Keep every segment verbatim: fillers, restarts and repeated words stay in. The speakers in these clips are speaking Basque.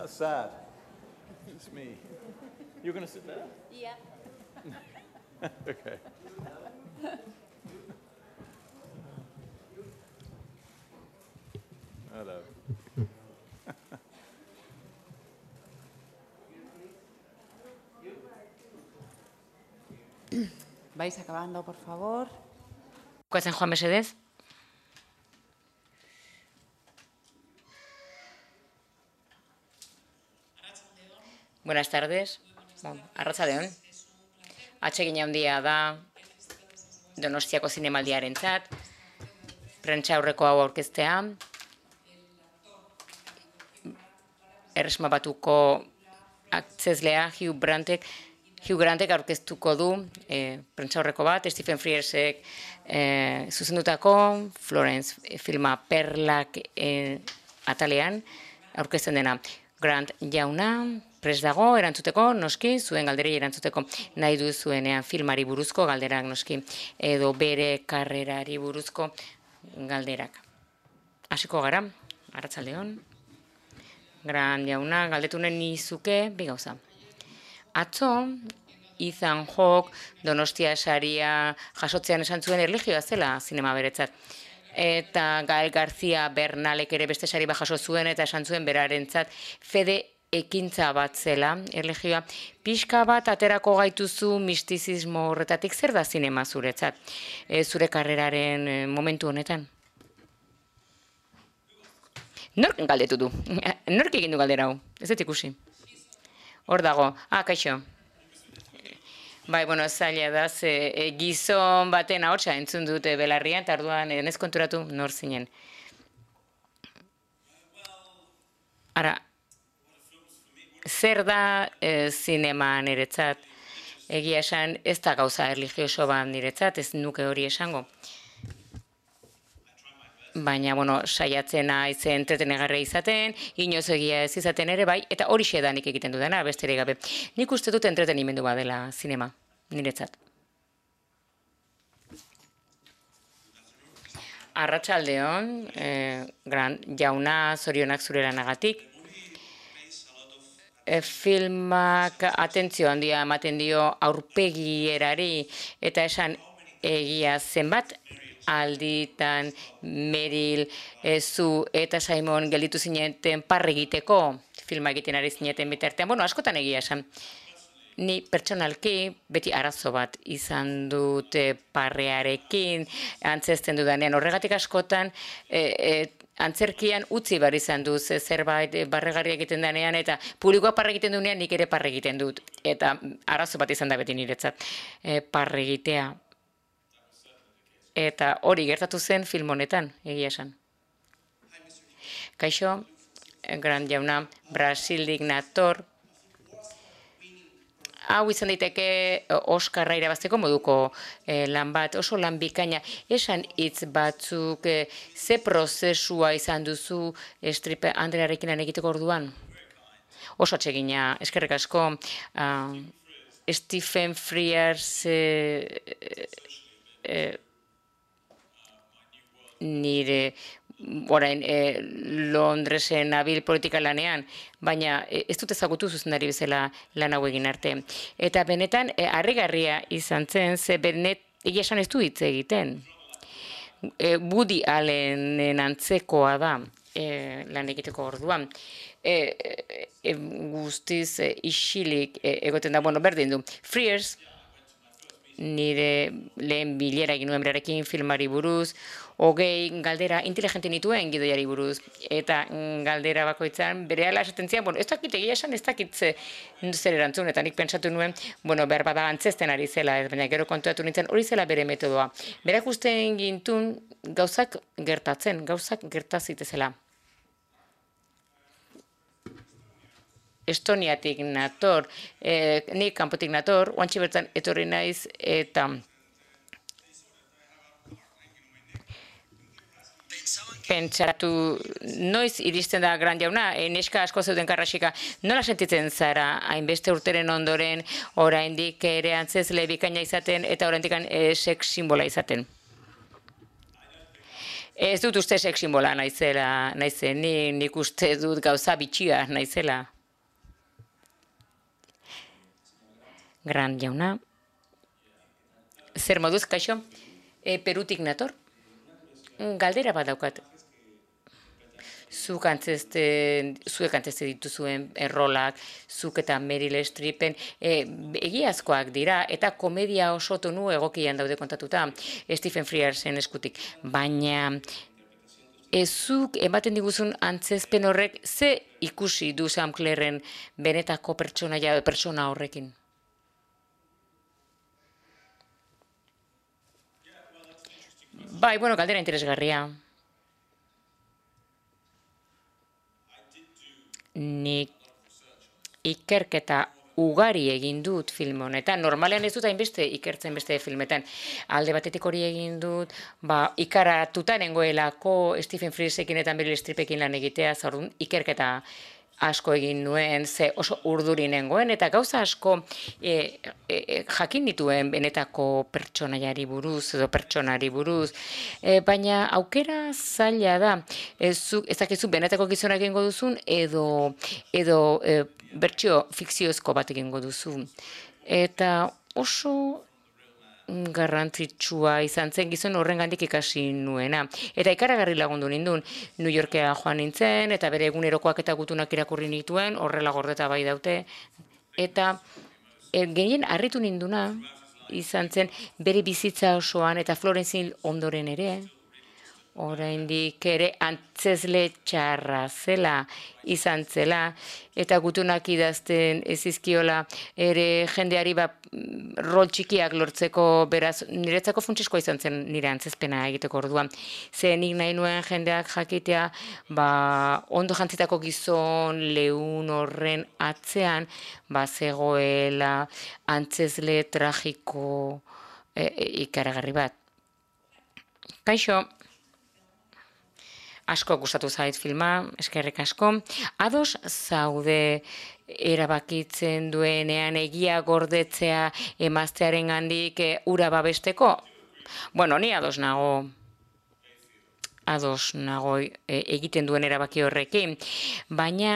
How sad. It's me. You're going to sit there? Yeah. Okay. Hello. Vais acabando, por favor. Bukatzen joan mesedez. Buenas tardes. Bon, arratsaldeon. Atsegin handia da Donostiako zinemaldiarentzat. Prentsa aurreko hau aurkeztea. Erresuma Batuko akzeslea Hugh Grantek Hugh Grantek aurkeztuko du e, prentsa aurreko bat, Stephen Friersek e, zuzendutako Florence filma Perlak e, atalean aurkezten dena. Grant jauna, prest dago, erantzuteko, noski, zuen galderei erantzuteko nahi duzuenean filmari buruzko galderak, noski, edo bere karrerari buruzko galderak. Hasiko gara, arratsaldeon. Grant jauna, galdetunen nizuke, bi gauza. Atzo, Ethan Hawke Donostia saria jasotzean esan zuen erlijioa zela zinema beretzat. Eta Gael García Bernalek ere beste sari bat jaso zuen eta esan zuen berarentzat fede ekintza bat zela erlijioa. Pixka bat aterako gaituzu mistizismo horretatik, zer da zinema zuretzat, e, zure karreraren e, momentu honetan? Nork galdetu du? Nork egin du galdera hau? Ez dut ikusi. Hor dago. Ah, kaixo. Bai, bueno, zaila da, ze e, gizon baten ahotsa entzun dute belarrian, eta orduan ez konturatu nor zinen. Ara, zer da e, zinema niretzat? Egia esan, ez da gauza erlijioso bat niretzat, ez nuke hori esango. Baina, bueno, saiatzen naiz entretenegarria izaten, inoz egia ez izaten ere, bai, eta hori da nik egiten dudana, besterik gabe. Nik uste dut entretenimendu badela zinema, niretzat. Arratsaldeon, eh, Grant jauna, zorionak zure lanagatik. E, filmak atentzio handia ematen dio aurpegierari, eta esan egia zenbat, alditan Meryl, e, zu eta Simon gelditu zineten parre egiteko, filma egiten ari zineten bitartean. Bueno, askotan egia esan. Ni pertsonalki beti arazo bat izan dut e, parrearekin, antzesten dudanean. Horregatik askotan e, e, antzerkian utzi bar izan du, ze zerbait e, barregarri egiten denean, eta publikoa parre egiten duenean nik ere parre egiten dut. Eta arazo bat izan da beti niretzat e, parre egitea. Eta hori gertatu zen film honetan, egia esan. Kaixo, Grant jauna, Brasildik nator. Hau izan daiteke Oskarra irabazteko moduko eh, lan bat, oso lan bikaina. Esan hitz batzuk, eh, ze prozesua izan duzu Streep Andrearekin lan egiteko orduan? Oso atsegina, eskerrik asko. Uh, Stephen Frears eh, eh, nire orain e, Londresen nabil politika lanean, baina e, ez dut ezagutu zuzendari bezala lan hau egin arte. Eta benetan, e, harrigarria izan zen, ze benet, egia esan ez du hitz egiten. E, Woody Allenen antzekoa da e, lan egiteko orduan. E, e, guztiz e, isilik e, egoten da, bueno, berdin du. Frears, nire lehen bilera egin nuen berarekin filmari buruz, hogei galdera inteligente nituen gidoiari buruz, eta galdera bakoitzan berehala esaten zian, bueno, ez dakit egia esan, ez dakit zer erantzun, eta nik pentsatu nuen, bueno, behar bada antzesten ari zela, baina gero kontuatu nintzen, hori zela bere metodoa. Berak usten gintun gauzak gertatzen, gauzak gertazitezela. Estoniatik nator, eh, nik kanpotik nator, oantxe bertan etorri naiz, eta pentsatu, noiz iristen da Grant jauna, e, neska asko zeuden karrasika, nola sentitzen zara, hainbeste urteren ondoren, oraindik ere antzezle bikaina izaten, eta oraindik e, sex simbola izaten? Ez dut uste sex simbola naizela, naizen, ni, nik uste dut gauza bitxia naizela. Gran jauna. Zer moduz, kaixo? E, Perutik nator? Galdera bat daukat. Zuk antzeste, zuek antzeste dituzuen errolak, zuk eta Meryl Streepen e, egiazkoak dira, eta komedia oso tonu egokian daude kontatuta Stephen Frearsen eskutik. Baina ez zuk ematen diguzun antzezpen horrek ze ikusi du Sam Claren benetako pertsonaia pertsona horrekin? Bai, bueno, galdera interesgarria. Nik ikerketa ugari egin dut film honetan. Normalean ez dut hainbeste ikertzen beste filmetan. Alde batetik hori egin dut, ba, ikaratuta nengoelako Stephen Frearsekin eta Meryl Streepekin lan egitea, zaurun ikerketa asko egin nuen, ze oso urduri nengoen, eta gauza asko e, e, jakin dituen benetako pertsonaiari buruz, edo pertsonari buruz, e, baina aukera zaila da, ez dakizu benetako gizona egingo duzun, edo, edo e, bertsio fikziozko bat egingo duzu. Eta oso garrantzitsua izan zen gizon horrengandik ikasi nuena. Eta ikaragarri lagundu nindun, New Yorkea joan nintzen, eta bere egunerokoak eta gutunak irakurri nituen, horrela gordeta bai daute. Eta e, genien harritu ninduna izan zen bere bizitza osoan, eta Florence Hill ondoren ere, oraindik ere antzezle txarra zela, izan zela, eta gutunak idazten ezizkiola ere jendeari ba, rol txikiak lortzeko, beraz, niretzako funtsezkoa izan zen nire antzezpena egiteko orduan. Ze nik nahi nuen jendeak jakitea, ba, ondo jantzitako gizon leun horren atzean, ba, zegoela antzezle tragiko e, e, ikaragarri bat. Kaixo. Asko gustatu zait filma, eskerrik asko. Ados zaude erabakitzen duenean egia gordetzea emaztearen gandik e, ura babesteko? Bueno, ni ados nago. Ados nago e, egiten duen erabaki horrekin. Baina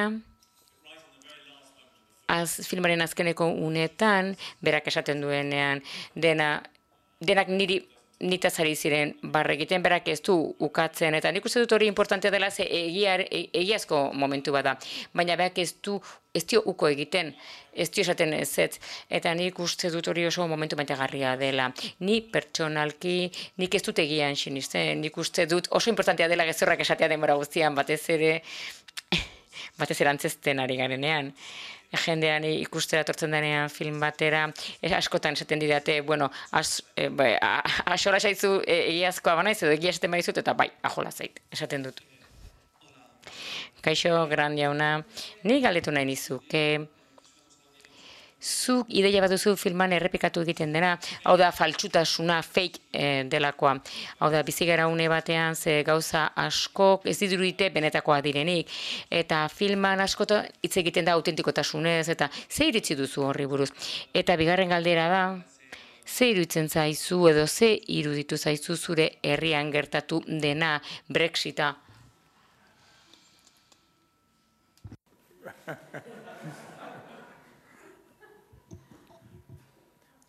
az, filmaren azkeneko unetan, berak esaten duenean, dena, denak niri nitaz ari ziren barre egiten, berak ez du ukatzen, eta nik uste dut hori importantea dela ze egiar, e, egiazko momentu bada, baina berak ez du, ez dio uko egiten, ez dio esaten ez ez, eta nik uste dut hori oso momentu maitagarria dela. Ni pertsonalki, nik ez dut egian sinisten, nik uste dut oso importantea dela gezurrak esatea denbora guztian, batez ere, batez ere antzezten ari garenean. Jendean ikustera tortzen denean film batera, es, askotan esaten didate, bueno, as, e, bai, asola zaizu e, egiazkoa banaiz, edo egia esaten baizut, eta bai, ajola zait, esaten dut. Kaixo, gran jauna, ni galdetu nahi nizuke, zuk ideia bat duzu filman errepikatu egiten dena, hau da faltsutasuna, fake eh, delakoa. Hau da, bizigara une batean ze gauza askok ez dirudite benetakoa direnik. Eta filman askota hitz egiten da autentikotasunez, eta ze iritzi duzu horri buruz. Eta bigarren galdera da, ze iruditzen zaizu edo ze iruditu zaizu zure herrian gertatu dena Brexita?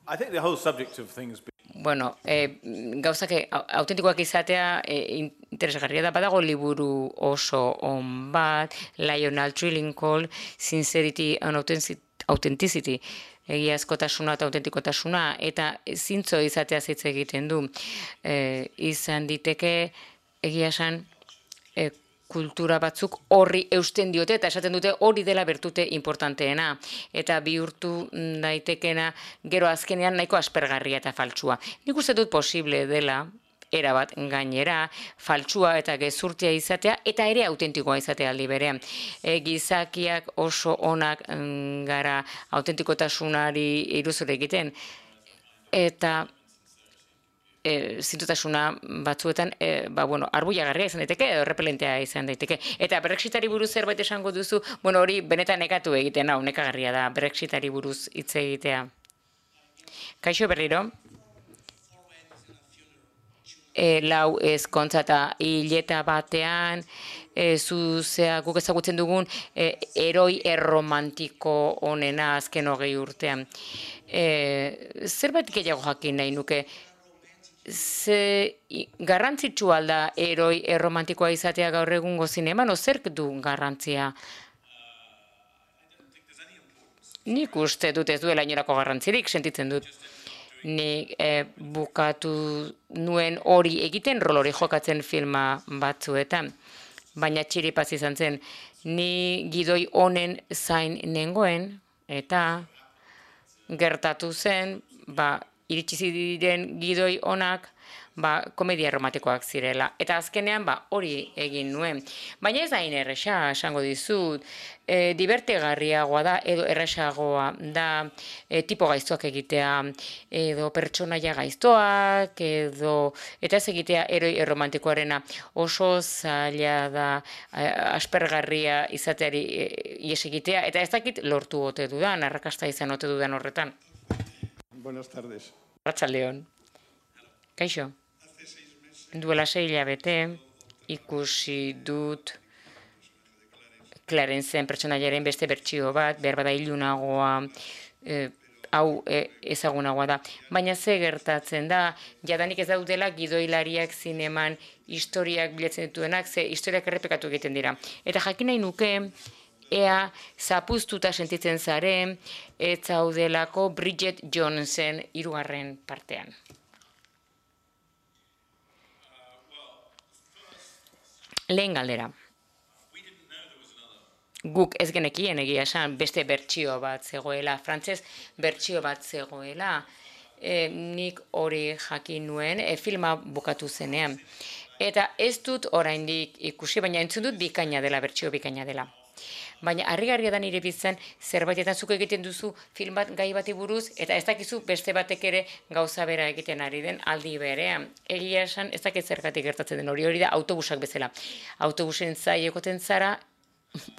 I think the whole subject of things. Bueno, eh, gauzak autentikoak izatea eh, interesgarria da, badago liburu oso on bat, Lionel Trillinghall, Sincerity and Authenticity, egiazkotasuna eta autentikotasuna, eta zintzo izatea hitz egiten du. Eh, izan diteke, egia esan, eh, kultura batzuk horri eusten diote, eta esaten dute hori dela bertute importanteena, eta bihurtu daitekena gero azkenean nahiko aspergarria eta faltsua. Nik uste dut posible dela, erabat gainera, faltsua eta gezurtia izatea, eta ere autentikoa izatea aldi berean. E, gizakiak oso onak gara autentikotasunari iruzur egiten, eta E, zintutasuna batzuetan, e, ba, bueno, arbuiagarria izan daiteke, edo repelentea izan daiteke. Eta Brexitari buruz zerbait esango duzu, bueno, hori benetan nekatu egiten, hau, nekagarria da, Brexitari buruz hitz egitea. Kaixo berriro? e, lau ezkontza eta hileta batean, e, zuzea guk ezagutzen dugun e, eroi erromantiko onena azken hogei urtean. E, zerbait gehiago jakin nahi nuke, ze garrantzitsua alda eroi erromantikoa izatea gaur egungo zineman, o zerk du garrantzia? Nik uste dut ez duela inolako garrantzirik, sentitzen dut. Nik eh, bukatu nuen hori egiten, rol hori jokatzen filma batzuetan. Baina txiripaz izan zen, ni gidoi honen zain nengoen, eta gertatu zen, ba, iritsi ziren gidoi onak, ba, komedia romantikoak zirela. Eta azkenean, ba, hori egin nuen. Baina ez da erresa, esango dizut, e, divertegarriagoa da, edo erresagoa da, e, tipo gaiztoak egitea, edo pertsonaia gaiztoak, edo, eta ez egitea eroi erromantikoarena oso zaila da, e, aspergarria izateari e, ies egitea, eta ez dakit lortu ote dudan, arrakasta izan ote dudan horretan. Buenas tardes. Arratsaldeon. Kaixo. Duela sei hilabete ikusi dut Clarencen pertsonaiaren beste bertsio bat, behar bada ilunagoa, e, hau e, ezagunagoa da. Baina ze gertatzen da, jadanik ez daudela gidoilariak zineman historiak bilatzen dituenak, ze historiak errepekatu egiten dira. Eta jakin nahi nuke, ea zapuztuta sentitzen zaren, ez zaudelako Bridget Jonesen hirugarren partean. Lehen galdera. Guk ez genekien egia esan beste bertsio bat zegoela, frantzez bertsio bat zegoela, e, nik hori jakin nuen e, filma bukatu zenean. Eta ez dut oraindik ikusi, baina entzun dut bikaina dela, bertsio bikaina dela. Baina harrigarria da nire bizitzan zerbaitetan zuk egiten duzu film bat gai bati buruz, eta ez dakizu beste batek ere gauza bera egiten ari den aldi berean. Egia esan ez dakit zergatik gertatzen den hori hori da autobusak bezala. Autobusen zai egoten zara,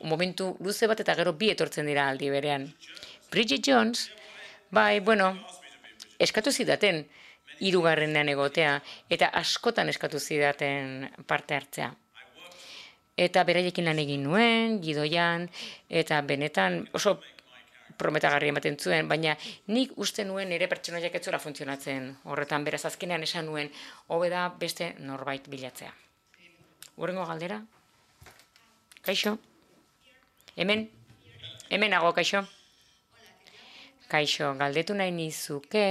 momentu luze bat eta gero bi etortzen dira aldi berean. Bridget Jones, bai, bueno, eskatu zidaten hirugarrenean egotea, eta askotan eskatu zidaten parte hartzea. Eta beraiekin lan egin nuen, gidoian, eta benetan oso prometagarri ematen zuen, baina nik uste nuen nire pertsonaiak ez zuela funtzionatzen horretan, beraz azkenean esan nuen, hobe da beste norbait bilatzea. Hurrengo galdera? Kaixo? Hemen? Hemen nago, kaixo? Kaixo, galdetu nahi nizuke,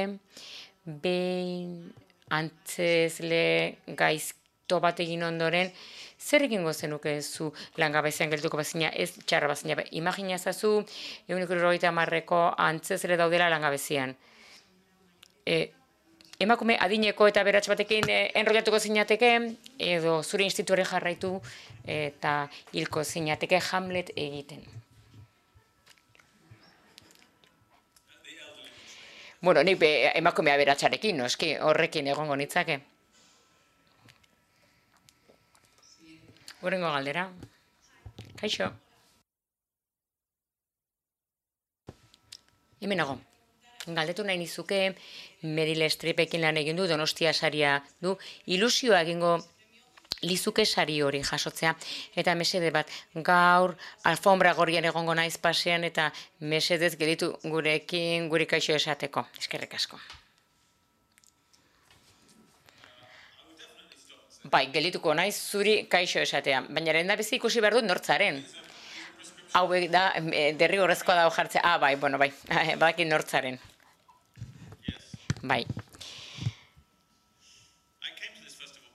behin antzezle gaizto bat egin ondoren, zer egingo zenuke zu langabezian geldituko bazina, ez txarra bazina. Imagina ezazu, ehuneko hirurogeita hamarreko antzezle daudela langabezian. E, emakume adineko eta beratx batekin e, enrollatuko zinateke, edo zure instituari jarraitu eta hilko zinateke Hamlet egiten. Bueno, nik emakumea beratxarekin, noski, horrekin egongo nitzake. Hurrengo galdera. Kaixo. Hemen nago. Galdetu nahi nizuke, Meryl Streepekin lan egin du, Donostia saria du, ilusioa egingo lizuke sari hori jasotzea. Eta mesede bat, gaur alfombra gorrian egongo naiz pasean, eta mesedez gelditu gurekin guri kaixo esateko. Eskerrik asko. Bai, gelituko naiz zuri kaixo esatea, baina lehendabizi ikusi behar dut nortzaren. Hauek da, derrigorrezkoa dago jartzea. Ah, bai, bueno, bai, badakit nortzaren. Bai.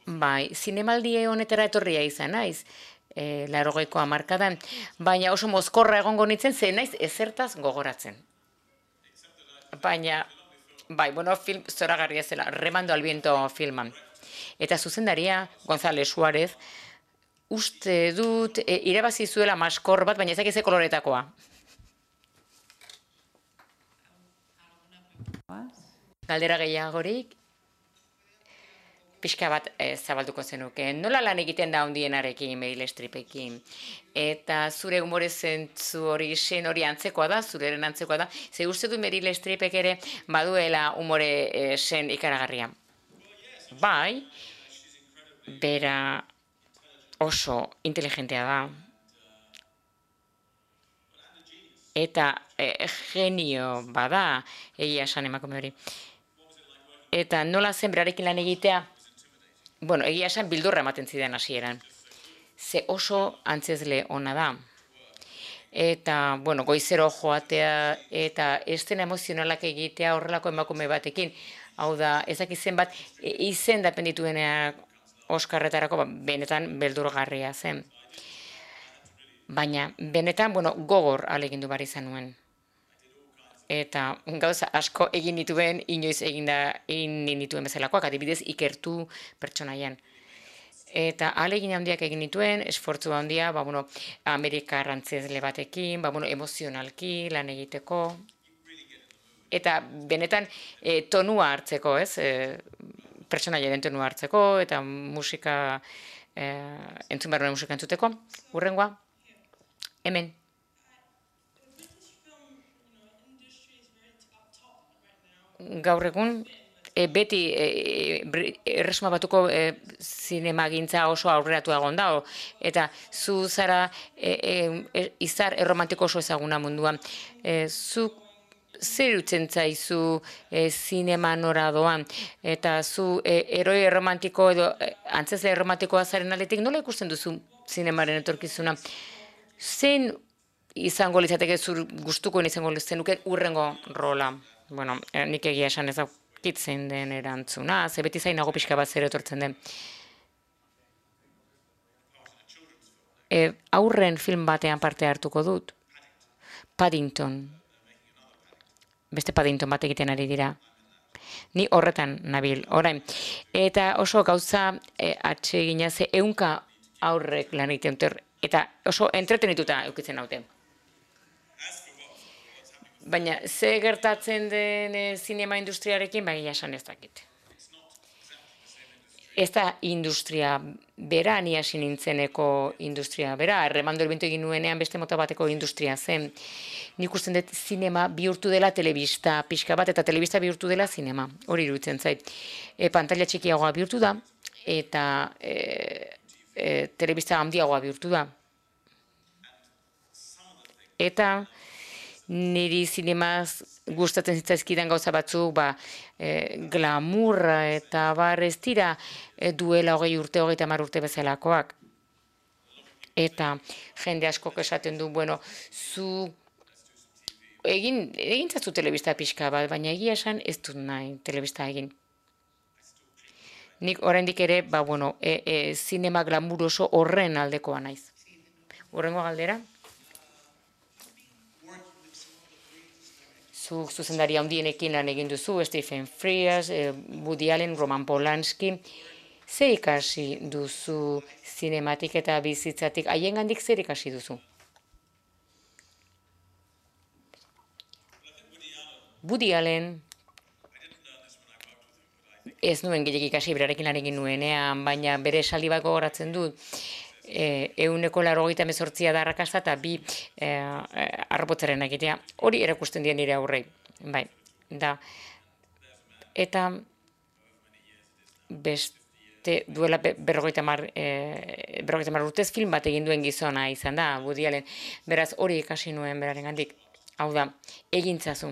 Bai, zinemaldi honetara etorria izan naiz, e, laurogeiko hamarkadan, baina oso mozkorra egongo nintzen, ze naiz ezertaz gogoratzen. Baina, bai, bueno, film zoragarria zela, Remando al viento filman. Eta zuzendaria, González Suárez, uste dut, e, irabazi zuela maskor bat, baina ezak eze koloretakoa. Galdera gehiagorik, pixka bat e, zabalduko zenuke. Nola lan egiten da handienarekin, Meryl Streepekin? Eta zure humore zentzu hori sen hori antzekoa da, zureren antzekoa da. Ze uste du Meryl Streepek ere baduela humore e, sen ikaragarria? Bai, bera oso inteligentea da. Eta e, genio bada, egia esan emakume hori. Eta nola zen berarekin lan egitea? Bueno, egia esan bildurra ematen zidan hasieran. Ze oso antzezle ona da. Eta, bueno, goizero joatea eta estena emozionalak egitea horrelako emakume batekin. Hau da, ezak izen bat, izen dapen ditueneak Oskarretarako, ba, benetan beldurgarria zen. Baina, benetan, bueno, gogor alegindu bar izan nuen. Eta gauza asko egin dituen, inoiz egin da, egin dituen bezalakoak, adibidez ikertu pertsonaian. Eta ahalegin handiak egin dituen, esfortzu handia, ba, bueno, Amerikar antzezle batekin, ba, bueno, emozionalki lan egiteko. Eta benetan e, tonua hartzeko, ez? E, pertsonaiaren tonua hartzeko, eta musika, e, entzun behar musika entzuteko. Hurrengoa, hemen. Gaur egun, e, beti e, Erresuma Batuko e, zinemagintza oso aurreratu egon da, eta zu zara e, e, izar erromantiko oso ezaguna munduan. E, zu zer utzen zaizu e, zinema nora doan, eta zu e, eroi erromantiko edo e, antzezle erromantikoa zaren aletik, nola ikusten duzu zinemaren etorkizuna? Zein izango litzateke zur gustukoen izango zenuke urrengo rola? Bueno, nik egia esan ez daukitzen den erantzuna, ze beti zainago pixka bat zer etortzen den. E, aurren film batean parte hartuko dut. Paddington. Beste Paddington bat egiten ari dira. Ni horretan nabil, orain. Eta oso gauza e, atsegina ze ehunka aurrek lan egiten dute, eta oso entretenituta eukitzen naute. Baina, ze gertatzen den e, zinema industriarekin, bai esan ez dakit. Ez da industria bera, ni hasi nintzeneko industria bera, Arremando el Viento egin nuenean beste mota bateko industria zen. Nik usten dut zinema bihurtu dela telebista pixka bat, eta telebista bihurtu dela zinema, hori iruditzen zait. E, pantalla txikiagoa bihurtu da, eta e, e, telebista handiagoa bihurtu da. Eta niri zinemaz gustatzen zitzaizkidan gauza batzuk, ba, e, glamurra eta bar ez dira e, duela hogei urte, hogeita hamar urte bezalakoak. Eta jende askok esaten du, bueno, zu egin, egin zazu telebista pixka bat, baina egia esan ez dut nahi telebista egin. Nik oraindik ere, ba, bueno, e, e, zinema glamuroso horren aldekoa naiz. Hurrengo galdera? Zuk zuzendari handienekin lan egin duzu, Stephen Frears, Woody Allen, Roman Polanski. Zer ikasi duzu zinematik eta bizitzatik? Haiengandik zer ikasi duzu? Woody Allen, ez nuen gehiagik ikasi, berarekin lan egin nuenean, baina bere esaldi bat gogoratzen dut. Ehuneko laurogeita hemezortzia da arrakasta eta bi e, arropotzaren egitea. Hori erakusten dien nire aurrei. Bai, da. Eta beste duela berrogeita mar, e, berrogeita mar urtez film bat egin duen gizona izan da, Woody Allen. Beraz, hori ikasi nuen berarengandik. Hau da, egintzazu.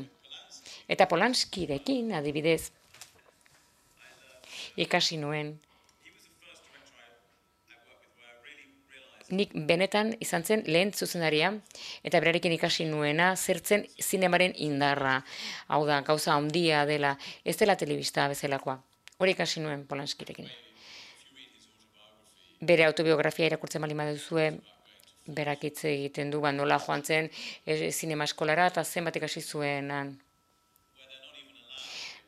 Eta Polanskirekin, adibidez, ikasi nuen. Nik benetan izan zen lehen zuzendaria, eta berarekin ikasi nuena zertzen zinemaren indarra. Hau da, gauza handia dela, ez dela telebista bezalakoa. Hori ikasi nuen Polanskirekin. Bere autobiografia irakurtzen bali baduzue, berak hitz egiten du, ba, nola joan zen e, zinema eskolara, eta zenbat ikasi zuenan.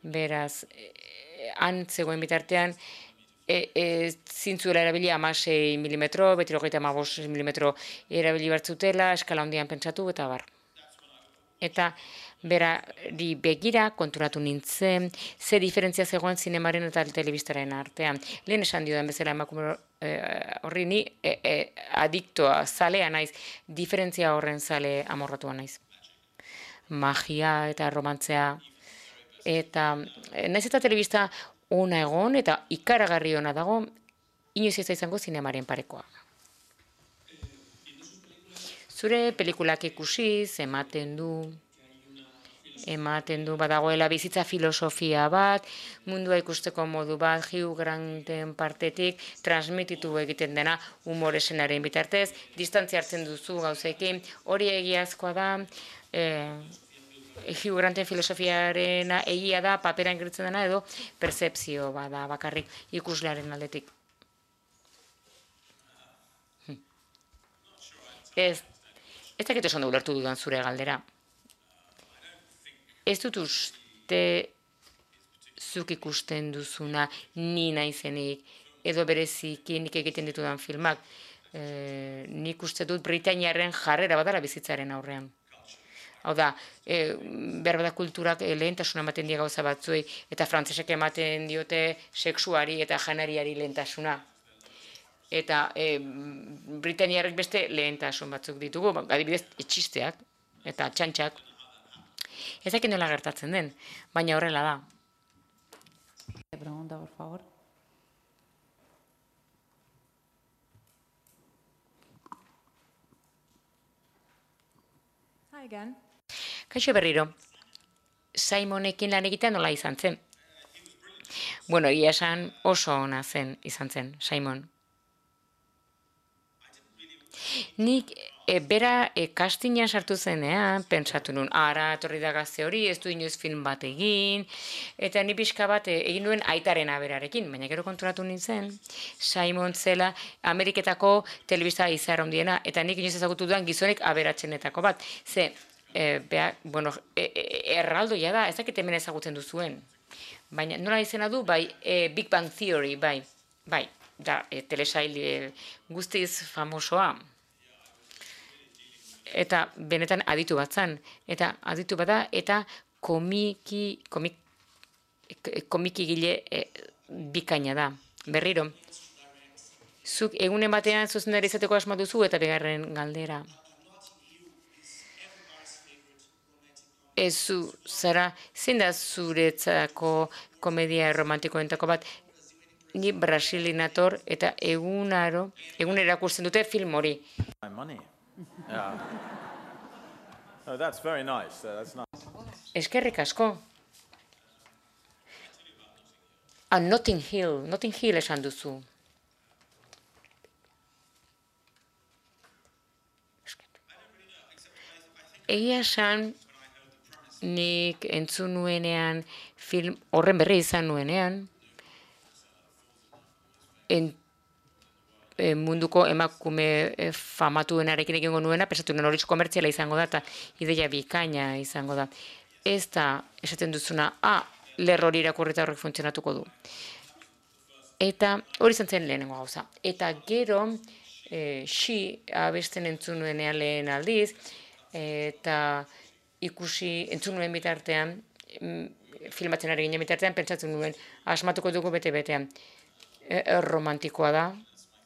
Beraz, e, han zegoen bitartean, E, e, zintzuela erabili hamasei milimetro, beti hogeita hamabost milimetro erabili bertzutela, eskala handian pentsatu eta bar. Eta berari begira konturatu nintzen, ze diferentzia zegoen zinemaren eta telebistaren artean. Lehen esan dio den bezala emakume e, horri ni e, e, adiktoa, zalea naiz, diferentzia horren zale amorratua naiz. Magia eta romantzea, eta naiz eta telebista ona egon eta ikaragarri ona dago, inoiz ez da izango zinemaren parekoa. Zure pelikulak ikusiz, ematen du, ematen du, badagoela bizitza filosofia bat, mundua ikusteko modu bat, Hugh Granten partetik, transmititu egiten dena humor esenaren bitartez, distantzia hartzen duzu gauzekin, hori egiazkoa da, eh, Hugh Granten filosofiarena egia da, paperan geritzen dena, edo percepzio bada bakarrik ikuslearen aldetik. Ez, ez dakit oso ondo ulertu dudan zure galdera. Ez dut uste zuk ikusten duzuna ni naizenik, edo bereziki nik egiten ditudan filmak. E, nik uste dut Britainiarren jarrera badala bizitzaren aurrean. Hau da, e, behar bada kulturak lehentasuna ematen die gauza batzuei, eta frantsesek ematen diote sexuari eta janariari lehentasuna. Eta e, Britainiarrek beste lehentasun batzuk ditugu, adibidez etxisteak eta txantxak. Ez dakit nola gertatzen den, baina horrela da. Pregunta, por favor. Hi again. Kaixo berriro, Simonekin lan egitea nola izan zen? Bueno, egia esan oso ona zen izan zen, Simon. Nik e, bera e, castingan sartu zenean, pentsatu nun, ara, etorri da gazte hori, ez du inoiz film bat egin, eta ni pixka bat e, egin nuen aitaren aberarekin, baina gero konturatu nintzen, Simon zela Ameriketako telebista izar handiena, eta nik inoiz ezagutu dudan gizonek aberatsenetako bat. Ze, e, bea, bueno, e, e, erraldoia da, ez dakit hemen ezagutzen duzuen. Baina nola izena du, bai, e, Big Bang Theory, bai, bai, da, e, telesail e, guztiz famosoa. Eta benetan aditu bat zan, eta aditu bada, eta komiki, komik, komiki gile e, bikaina da. Berriro, zuk egunen batean zuzendari izateko asma duzu, eta bigarren galdera. Ez zu, zara, zein da zuretzako komedia romantikoentako bat, ni Brasilinator eta egunaro, egun erakusten dute film hori. My money. Yeah. Oh, that's very nice. Uh, that's nice. Eskerrik asko. Ah, Notting Hill, Notting Hill esan duzu. Egia esan, nik entzun nuenean, film horren berri izan nuenean, en, e, munduko emakume e, famatuenarekin egingo nuena, pensatu nuen horitz komertziala izango da, eta ideia bikaina izango da. Ez da, esaten duzuna, ah, lerro hori irakurrita horrek funtzionatuko du. Eta hori izan zen lehenengo gauza. Eta gero, e, xi abesten entzun nuenean lehen aldiz, eta ikusi entzun nuen bitartean, filmatzen ari ginen bitartean, pentsatzen nuen, asmatuko dugu bete-betean. Erromantikoa da,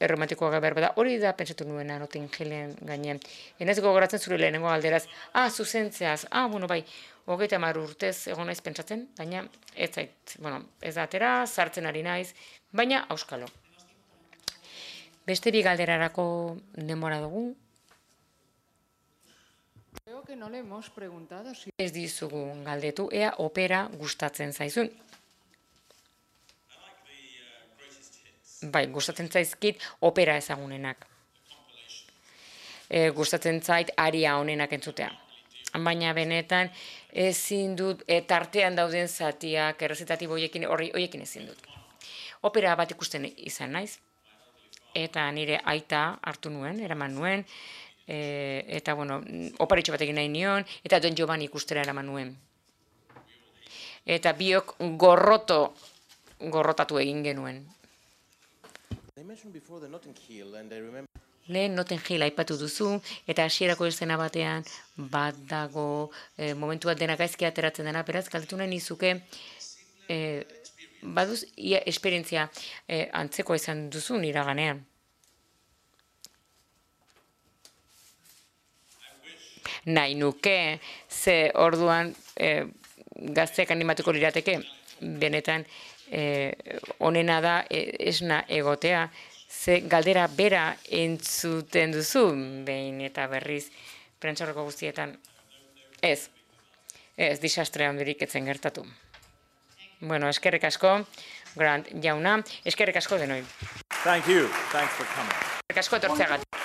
erromantikoa behar da, hori da pentsatu nuena Notting Hillen gainean. Enez gogoratzen zure lehenengo alderaz, ah, zuzentzeaz, ah, bueno, bai, hogeita hamar urtez egon naiz pentsatzen, baina ez zait, bueno, ez da atera, sartzen ari naiz, baina auskalo. Beste bi galderarako denbora dugu. Creo que no le hemos preguntado si... Ez dizugu galdetu, ea opera gustatzen zaizun. Bai, gustatzen zaizkit opera ezagunenak. E, gustatzen zait aria honenak entzutea. Baina benetan ezin dut, e, tartean dauden zatiak, errezitatibo horiekin, horiekin ezin dut. Opera bat ikusten izan naiz, eta nire aita hartu nuen, eraman nuen, e, eta, bueno, oparitxo bat egin nahi nion, eta Don Giovanni ikustera eraman nuen. Eta biok gorroto, gorrotatu egin genuen. Lehen Notting Hill aipatu duzu, eta hasierako eszena batean bat dago, e, momentu bat dena gaizki ateratzen dena, beraz, galdetu nahi nizuke, e, baduz, ia esperientzia e, antzeko izan duzu iraganean. Nahi nuke, ze orduan e, gazteak animatuko lirateke, benetan, e, onena da e, esna egotea, ze galdera bera entzuten duzu, behin eta berriz, prentsaurreko guztietan. Ez, ez, disastre handirik etzen gertatu. Bueno, eskerrik asko, Grant jauna, eskerrik asko denoi. Thank you. Thanks for coming. Eskerrik asko etortzeagatik.